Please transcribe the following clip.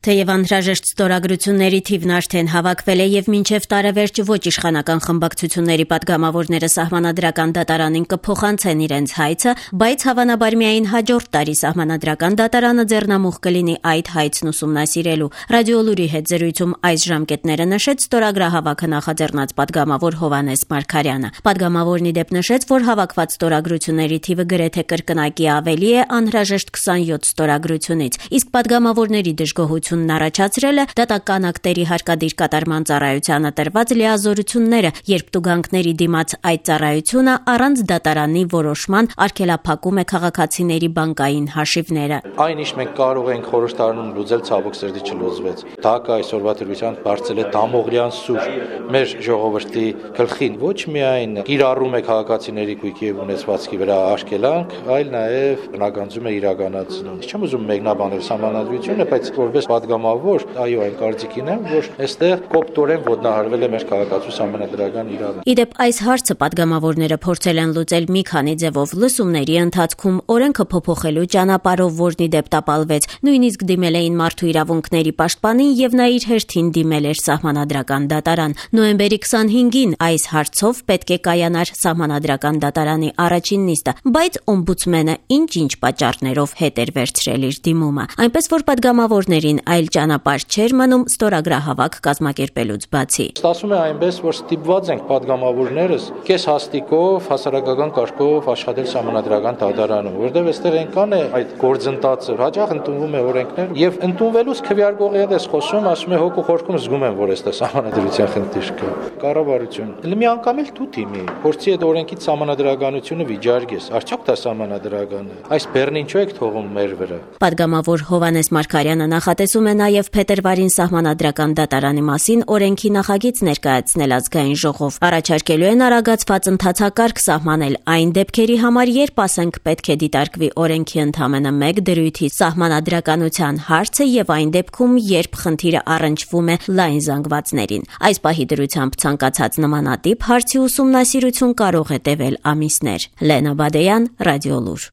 Թեև անհրաժեշտ ստորագրությունների թիվն արդեն հավաքվել է եւ մինչեւ տարեվերջ ոչ իշխանական խմբակցությունների պատգամավորները սահմանադրական դատարանին կփոխանցեն իրենց հայցը, բայց հավանաբար միայն հաջորդ տարի սահմանադրական դատարանը ձեռնամուխ կլինի այդ հայցն ուսումնասիրելու։ Ռադիոլուրի հետ զրույցում այս ժամկետները նշեց ստորագրահավաքը նախաձեռնած պատգամավոր Հովհաննես Մարգարյանը։ Պատգամավորն ի դեպ նշեց, որ հավաքված ստորագրությունների թիվը գրեթե կրկնակի ավելի է անհրաժեշտ 27 ստորագրությունից, իսկ պատգամավորների դժգոհությունն առաջացրել է դատական ակտերի հարկադիր կատարման ծառայությանը տրված լիազորությունները, երբ տուգանքների դիմաց այդ ծառայությունը առանց դատարանի որոշման արգելափակում է քաղաքացիների բանկային հաշիվները։ Այն ինչ մենք կարող ենք խորհրդարանում լուծել, ցավոք սրտի չլուծվեց։ ԴԱԿ-ը այսօրվա դրությամբ բարձել է դամողլյան սուր մեր ժողովրդի գլխին, ոչ միայն կիրառում է քաղաքացիների գույքի եւ ունեցվածքի վրա արգելանք, այլ նաեւ բնականություն է իրականացնում։ Չեմ ուզում մեկնաբանել սահմանադրությունը, բայց որպես պատգամավոր, այո, այն կարծիքին եմ, որ այստեղ կոպտորեն ոտնահարվել է մեր քաղաքացու սահմանադրական իրավունքը։ Իդեպ այս հարցը պատգամավորները փորձել են լուծել մի քանի ձևով լսումների ընթացքում, օրենքը փոփոխելու ճանապարհով, որն իդեպ տապալվեց, նույնիսկ դիմել էին մարդու իրավունքների պաշտպանին եւ նա իր հերթին դիմել էր սահմանադրական դատարան։ Նոյեմբերի 25-ին այս հարցով պետք է կայանար սահմանադրական դատարանի առաջին նիստը, բայց օմբուդսմենը ինչ-ինչ պատճառներով հետ էր վերցրել իր դիմումը։ Այնպես որ պատգամավորներին այլ ճանապարհ չէր մնում ստորագրահավաք կազմակերպելուց բացի։ Ստացվում է այնպես, որ ստիպված ենք պատգամավորներս կես հաստիկով, հասարակական կարգով աշխատել սահմանադրական դատարանում, որտեղ այստեղ այնքան է այդ գործընթացը, հաճախ ընդունվում է օրենքներ եւ ընդունվելուց քվեարկողի հետ ես խոսում, ասում է հոգու խորքում զգում եմ, որ այստեղ սահմանադրության խնդիր կա։ Կառավարություն։ Մի անգամ էլ դու թիմի, փորձի այդ օրենքից սահմանադրականությունը վիճարկես, արդյոք դա սահմանադրական է։ Այս բեռն ինչու եք թողում մեր վրա։ Պատգամավոր Հովհաննես Մարգարյանը նախատեսում է նաև փետրվարին սահմանադրական դատարանի մասին օրենքի նախագիծ ներկայացնել ազգային ժողով։ Առաջարկելու են արագացված ընթացակարգ սահմանել այն դեպքերի համար, երբ ասենք պետք է դիտարկվի օրենքի ընդամենը մեկ դրույթի սահմանադրականության հարցը եւ այն դեպքում, երբ խնդիրը առնչվում է լայն զանգվածներին։ Այս պահի դրությամբ ցանկացած նմանատիպ հարցի ուսումնասիրություն կարող է տևել ամիսներ։ Լենա Բադեյան, Ռադիոլուր։